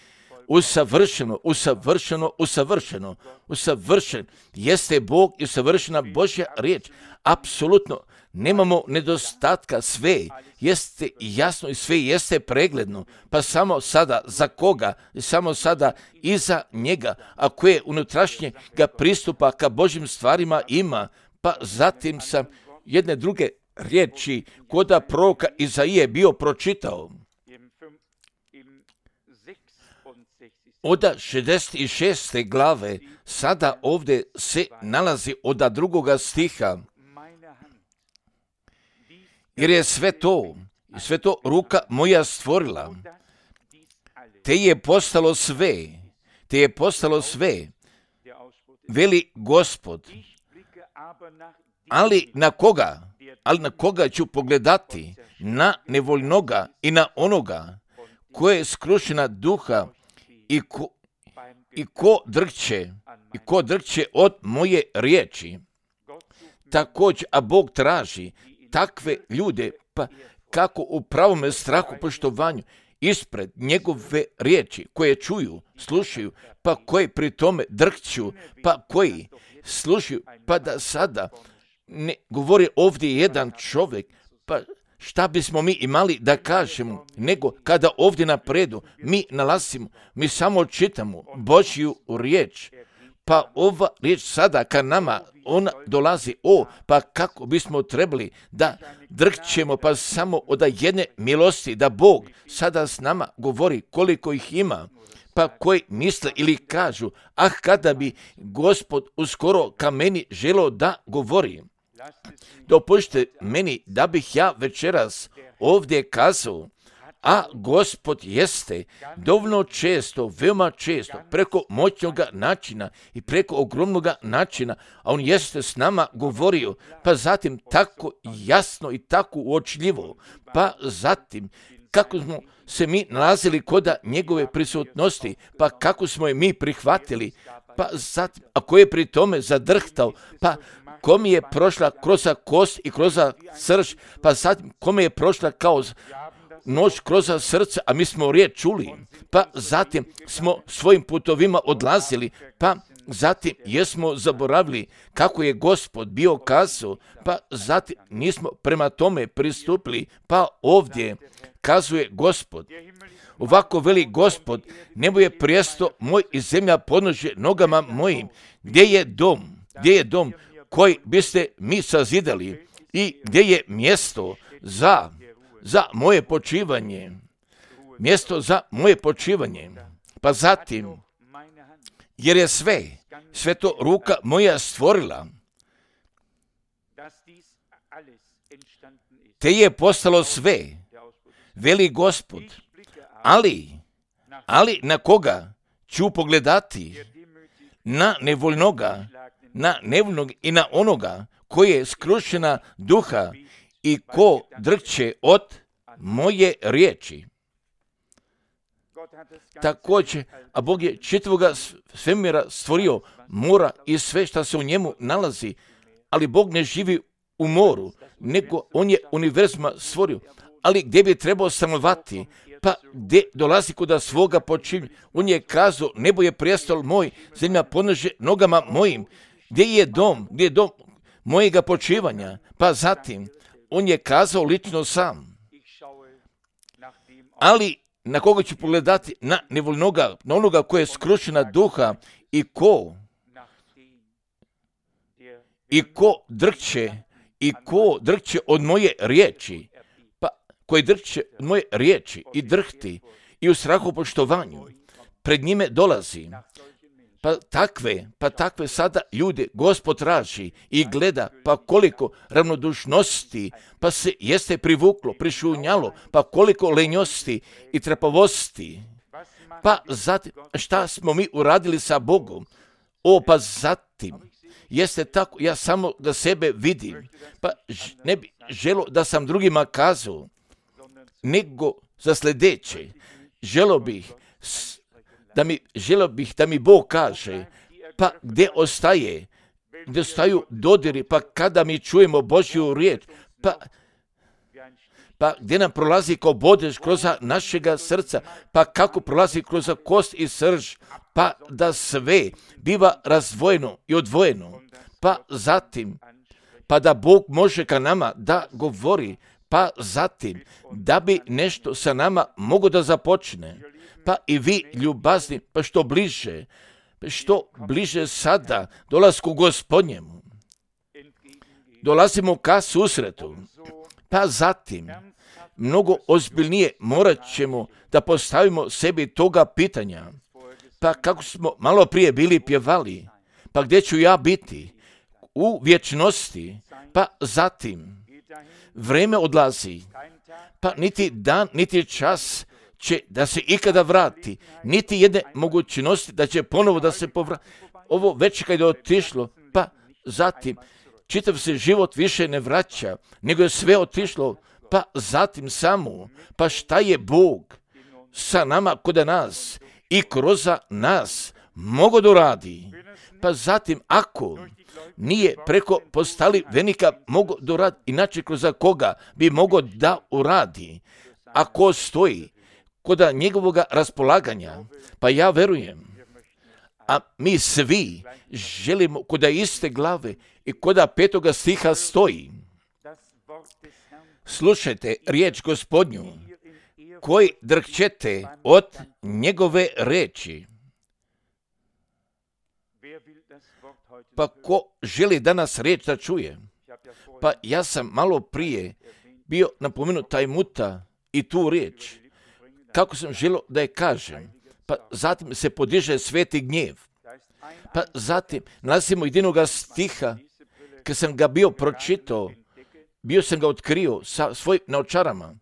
Usavršen jeste Bog i usavršena Božja riječ. Apsolutno nemamo nedostatka, sve jeste jasno i sve jeste pregledno. Pa samo sada za koga? Samo sada iza njega, a koje unutrašnje ga pristupa ka Božjim stvarima ima. Pa zatim sam jedne druge riječi koda proroka Izaije bio pročitao. Od 66. glave sada ovdje se nalazi od 2. stiha. Jer je sve to ruka moja stvorila, te je postalo sve, veli Gospod. Ali na koga ću pogledati? Na nevoljnoga i na onoga koje je skrušena duha i ko drhće od moje riječi. Također, a Bog traži takve ljude, pa kako u pravome strahu poštovanju ispred njegove riječi koje čuju, slušaju, pa koji pri tome drhću, pa koji slušaju, pa da sada ne govori ovdje jedan čovjek, pa šta bismo mi imali da kažemo, nego kada ovdje napredu mi samo čitamo Božju riječ, pa ova riječ sada ka nama, ona dolazi, pa kako bismo trebali da drhćemo, pa samo od jedne milosti, da Bog sada s nama govori koliko ih ima, pa koji misle ili kažu, kada bi Gospod uskoro ka meni želio da govori. Dopušte meni da bih ja večeras ovdje kazao, a Gospod jeste dovoljno često, veoma često, preko moćnog načina i preko ogromnog načina, a on jeste s nama govorio, pa zatim tako jasno i tako uočljivo, pa zatim kako smo se mi nalazili kod njegove prisutnosti, pa kako smo je mi prihvatili, pa zatim, a ko je pri tome zadrhtao, pa kome je prošla kroz kost i kroz srž, pa zatim kome je prošla kao nož kroz srce, a mi smo riječ čuli, pa zatim smo svojim putovima odlazili, pa zatim jesmo zaboravili kako je Gospod bio kazao, pa zatim nismo prema tome pristupili, pa ovdje kazuje Gospod. Ovako veli Gospod, nebo je prijesto moj i zemlja podnožje nogama mojim. Gdje je dom koji biste mi sazidali i gdje je mjesto za moje počivanje? Mjesto za moje počivanje. Pa zatim, jer je sve to ruka moja stvorila, te je postalo sve, veli Gospod. Ali na koga ću pogledati? Na nevoljnoga i na onoga koji je skrušena duha i ko drhće od moje riječi. Također, a Bog je čitavoga svemira stvorio, mora i sve što se u njemu nalazi, ali Bog ne živi u moru, nego On je univerzuma stvorio. Ali gdje bi trebao stanovati? Pa gdje dolazi kuda svoga počinja? On je kazao, nebo je prijestol moj, zemlja podnože nogama mojim. Gdje je dom mojega počivanja? Pa zatim, On je kazao lično sam. Ali na koga ću pogledati? Na nevoljnoga, na onoga koji je skrušena duha i ko drhće od moje riječi, pa koji drhće od moje riječi i drhti i u strahu poštovanju pred njime dolazi. Pa takve sada ljude Gospod traži i gleda, pa koliko ravnodušnosti, pa se jeste privuklo, prišunjalo, pa koliko lenjosti i trapavosti. Pa zatim, šta smo mi uradili sa Bogom? Pa zatim, jeste tako, ja samo da sebe vidim, pa ne bi želo da sam drugima kazao, nego za sljedeće, želo bih da mi Bog kaže, pa gdje ostaju dodiri, pa kada mi čujemo Božju riječ, pa gdje nam prolazi kao bodež kroz našega srca, pa kako prolazi kroz kost i srž, pa da sve biva razdvojeno i odvojeno, pa zatim, pa da Bog može ka nama da govori, pa zatim, da bi nešto sa nama mogo da započne. Pa i vi, ljubazni, pa što bliže sada dolasku Gospodnjemu. Dolazimo ka susretu. Pa zatim, mnogo ozbiljnije morat ćemo da postavimo sebi toga pitanja. Pa kako smo malo prije bili pjevali, pa gdje ću ja biti? U vječnosti. Pa zatim, vreme odlazi, pa niti dan, niti čas će da se ikada vrati, niti jedne mogućnosti da će ponovo da se povrati. Ovo već kad je otišlo, pa zatim čitav se život više ne vraća, nego je sve otišlo, pa zatim samo, pa šta je Bog sa nama kod nas i kroz nas mogo da uradi? Pa zatim, ako nije preko postali venika mogo da uradi, inače kroz koga bi mogo da uradi? Ako stoji kod njegovog raspolaganja, pa ja verujem, a mi svi želimo kod iste glave i kod 5. stiha stoji. Slušajte riječ Gospodnju, koji drhćete od njegove reči. Pa ko želi danas riječ da čuje? Pa ja sam malo prije bio napomenut taj muta i tu riječ. Kako sam želio da je kažem, pa zatim se podiže sveti gnjev. Pa zatim nalazimo jedinoga stiha, kad sam ga bio pročitao, bio sam ga otkrio sa svojim naočarama.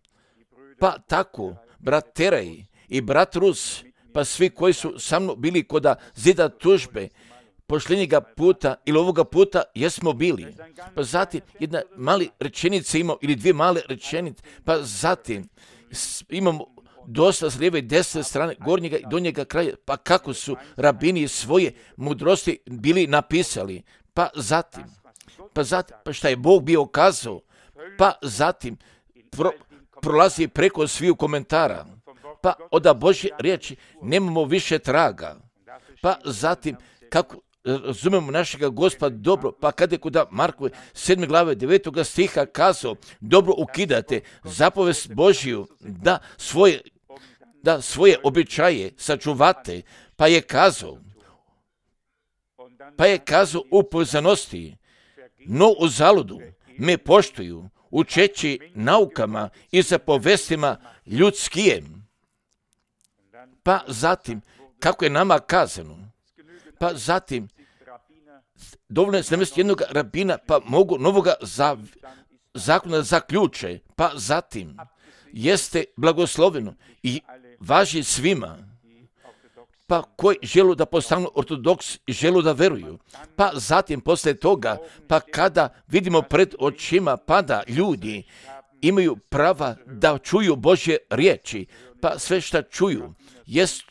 Pa tako, brat Teraj i brat Rus, pa svi koji su sa mnom bili kod zida tužbe, pošljenjega puta ili ovoga puta jesmo bili. Pa zatim jedna mali rečenica imamo ili dvije male rečenice, pa zatim imamo dosta s lijeve i desne strane, gornjega i donjega kraja, pa kako su rabini svoje mudrosti bili napisali. Pa zatim, pa šta je Bog bio kazao, pa zatim prolazi preko sviju komentara, pa od Božje riječi nemamo više traga. Pa zatim, kako razumemo našega Gospoda dobro, pa kada je kod Markove 7. glave 9. stiha kazao, dobro ukidate zapovest Božiju da svoje običaje sačuvate, pa je kazao u povezanosti, no u zaludu me poštuju, učeći naukama i zapovestima ljudskijem. Pa zatim, kako je nama kazano, pa zatim, dovoljno je znamesti jednog rabina, pa mogu novoga zakona zaključe, pa zatim, jeste blagosloveno i važi svima, pa koji želu da postanu ortodoks i želu da veruju. Pa zatim, poslije toga, pa kada vidimo pred očima pada ljudi, imaju prava da čuju Božje riječi, pa sve šta čuju jest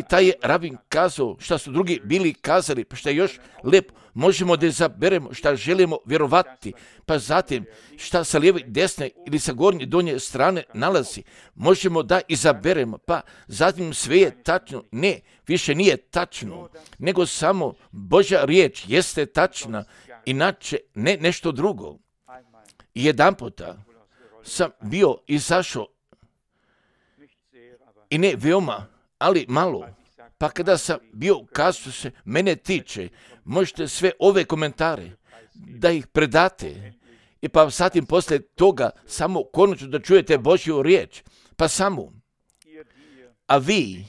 taj je rabin kazao, šta su drugi bili kazali, pa šta je još lijepo, možemo da izaberemo šta želimo vjerovati, pa zatim šta sa lijeve, desne ili sa gornje, donje strane nalazi, možemo da izaberemo, pa zatim sve je tačno, ne, više nije tačno, nego samo Božja riječ jeste tačna, inače ne nešto drugo. Jedan puta sam bio izašao, i ne veoma, ali malo, pa kada sam bio kazao se mene tiče, možete sve ove komentare da ih predate i pa zatim poslije toga samo konačno da čujete Božju riječ, pa samo. A vi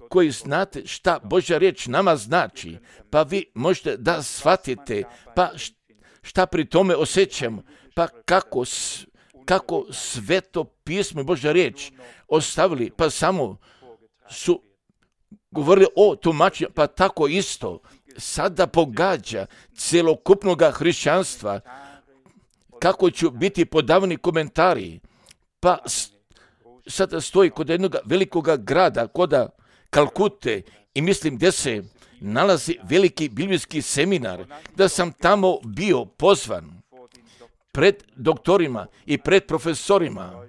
koji znate šta Božja riječ nama znači, pa vi možete da shvatite, pa šta pri tome osjećamo, pa kako Sveto pismo i Božja riječ ostavili, pa samo su govorili o tumačenju, pa tako isto sada pogađa celokupnog hrišćanstva, kako će biti podavani komentari, pa sada stoji kod jednog velikog grada, kod Kalkute, i mislim gdje se nalazi veliki biblijski seminar, da sam tamo bio pozvan pred doktorima i pred profesorima,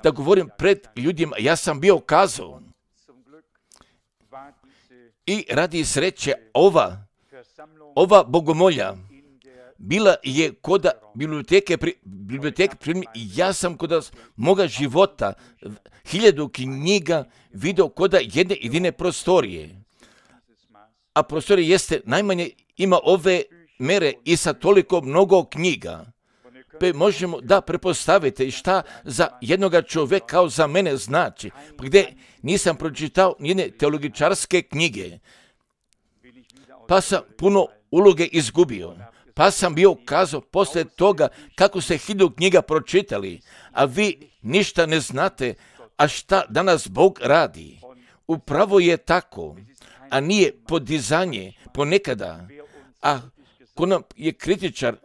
da govorim pred ljudima, ja sam bio kazao. I radi sreće ova bogomolja bila je kod biblioteke, ja sam kod moga života 1000 knjiga vidio kod jedne jedine prostorije. A prostorija jeste najmanje ima ove mere i sa toliko mnogo knjiga. Pa možemo da prepostavite šta za jednoga čovjeka kao za mene znači, gdje nisam pročitao nijedne teologičarske knjige, pa sam puno uloge izgubio, pa sam bio kazao poslije toga kako ste 1000 knjiga pročitali, a vi ništa ne znate, a šta danas Bog radi. Upravo je tako, a nije podizanje ponekada, a ko nam je kritičar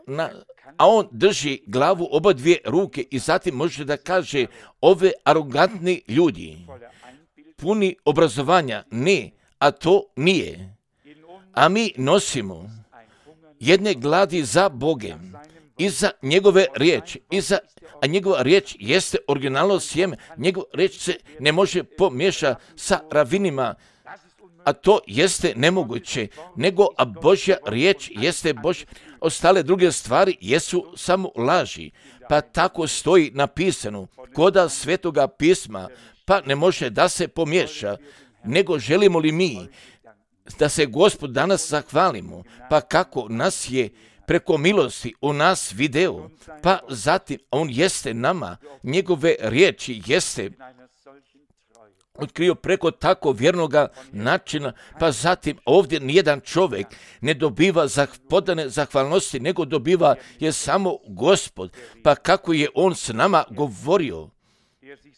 a on drži glavu oba dvije ruke i zatim može da kaže ove arogantni ljudi, puni obrazovanja, ne, a to nije. A mi nosimo jedne gladi za Bogem i za njegove riječi, a njegova riječ jeste originalno sjeme, njegova riječ se ne može pomiješati sa ravinima, a to jeste nemoguće, nego a Božja riječ jeste Božja. Ostale druge stvari jesu samo laži, pa tako stoji napisano koda Svetoga pisma, pa ne može da se pomiješa, nego želimo li mi da se Gospod danas zahvalimo, pa kako nas je preko milosti u nas video, pa zatim on jeste nama, njegove riječi jeste otkrio preko tako vjernoga načina, pa zatim ovdje nijedan čovjek ne dobiva podane zahvalnosti, nego dobiva je samo Gospod, pa kako je on s nama govorio,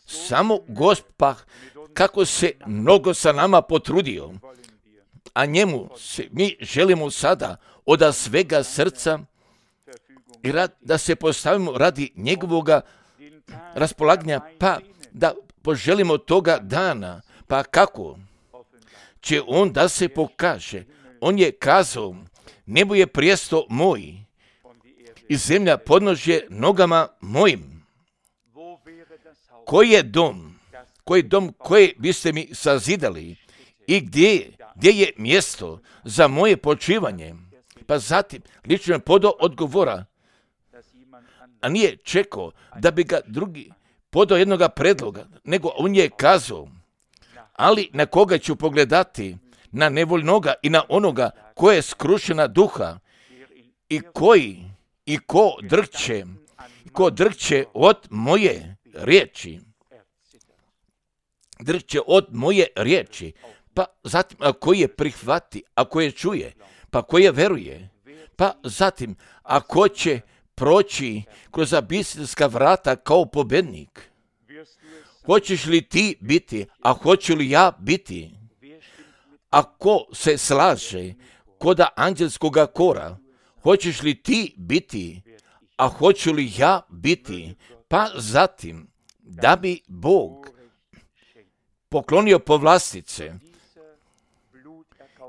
samo Gospod, pa kako se mnogo sa nama potrudio, a njemu se mi želimo sada od svega srca i da se postavimo radi njegovoga raspolaganja, pa da poželimo toga dana, pa kako će on da se pokaže. On je kazao, nebo je prijesto moj i zemlja podnožje nogama mojim. Koji je dom koje biste mi sazidali i gdje je mjesto za moje počivanje? Pa zatim lično je podao odgovora, a nije čekao da bi ga drugi podao jednoga predloga, nego on je kazao, ali na koga ću pogledati? Na nevoljnoga i na onoga ko je skrušena duha i ko drhće od moje riječi. Drhće od moje riječi. Pa zatim, ako je prihvati, ako je čuje, pa ko je veruje, pa zatim, ako će proći kroz abistinska vrata kao pobednik. Hoćeš li ti biti, a hoću li ja biti? Ako se slaže koda anđelskoga kora, hoćeš li ti biti, a hoću li ja biti? Pa zatim, da bi Bog poklonio povlastice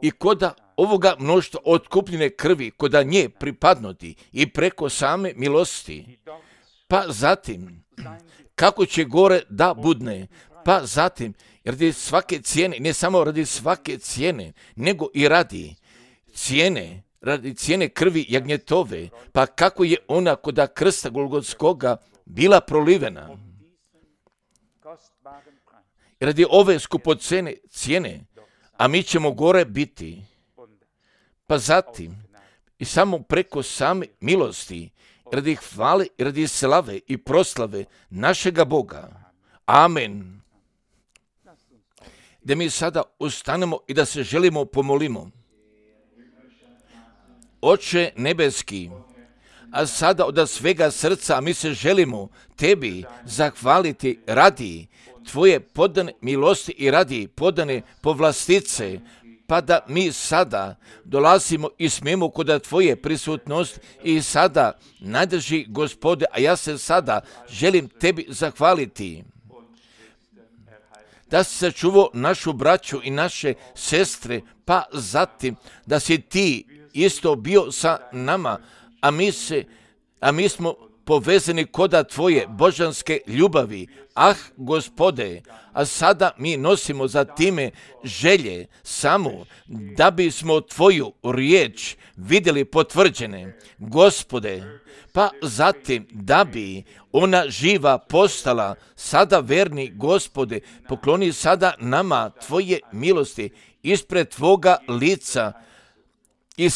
i koda ovoga mnoštva otkupljene krvi, koda nje pripadnuti i preko same milosti, pa zatim, kako će gore da budne, pa zatim, radi svake cijene, ne samo radi svake cijene, nego i radi cijene krvi jagnjetove, pa kako je ona koda krsta Golgotskoga bila prolivena. Radi ove skupocene cijene, a mi ćemo gore biti. Pa zatim, i samo preko same milosti, radi hvale, radi slave i proslave našega Boga. Amen. Da mi sada ustanemo i da se želimo pomolimo. Oče nebeski, a sada od svega srca mi se želimo tebi zahvaliti radi tvoje podane milosti i radi podane povlastice, pa da mi sada dolazimo i smijemo kod tvoje prisutnosti i sada najdrži Gospode, a ja se sada želim tebi zahvaliti da si sačuvao našu braću i naše sestre, pa zatim da si ti isto bio sa nama, a mi smo povezani koda tvoje božanske ljubavi. Ah, Gospode, a sada mi nosimo za time želje samo da bismo tvoju riječ vidjeli potvrđene, Gospode, pa zatim da bi ona živa postala sada verni, Gospode, pokloni sada nama tvoje milosti ispred tvoga lica i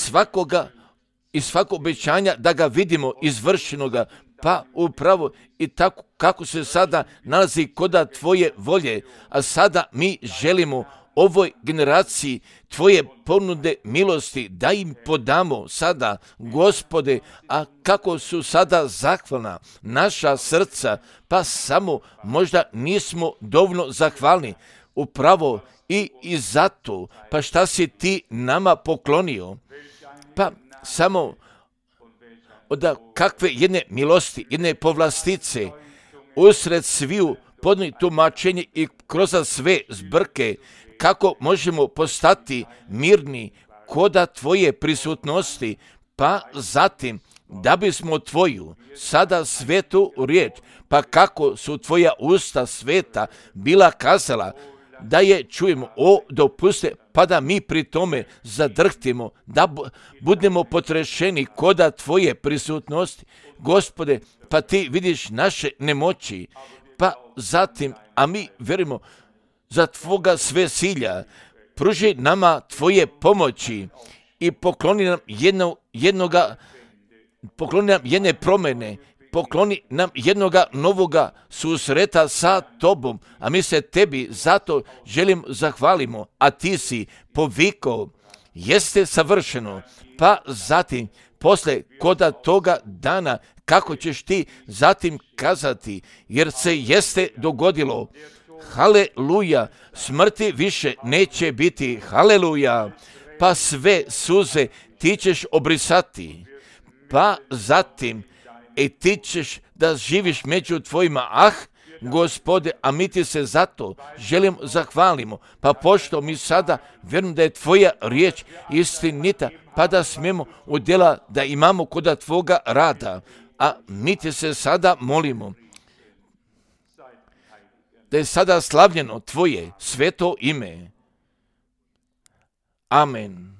svako obećanja da ga vidimo izvršenoga, pa upravo i tako kako se sada nalazi koda tvoje volje, a sada mi želimo ovoj generaciji tvoje ponude milosti da im podamo sada, Gospode, a kako su sada zahvalna naša srca, pa samo možda nismo dovoljno zahvalni, upravo i zato, pa šta si ti nama poklonio, pa samo od kakve jedne milosti, jedne povlastice, usred sviju podni tumačenje i kroz sve zbrke, kako možemo postati mirni koda tvoje prisutnosti, pa zatim da bismo tvoju sada svetu riječ, pa kako su tvoja usta sveta bila kazala, da je čujemo, dopuste, pa da mi pri tome zadrhtimo, da budemo potrešeni koda tvoje prisutnosti, Gospode, pa ti vidiš naše nemoći, pa zatim, a mi verimo za tvoga sve silja, pruži nama tvoje pomoći i pokloni nam jedne promjene, pokloni nam jednoga novoga susreta sa tobom, a mi se tebi zato želim zahvalimo, a ti si povikao, jeste savršeno, pa zatim posle koda toga dana, kako ćeš ti zatim kazati, jer se jeste dogodilo, haleluja, smrti više neće biti, haleluja, pa sve suze ti ćeš obrisati, pa zatim i ti ćeš da živiš među tvojima, ah, Gospode, a mi ti se zato želim zahvalimo, pa pošto mi sada vjerujem da je tvoja riječ istinita, pa da smijemo u djela da imamo koda tvoga rada, a mi ti se sada molimo da je sada slavljeno tvoje sveto ime. Amen.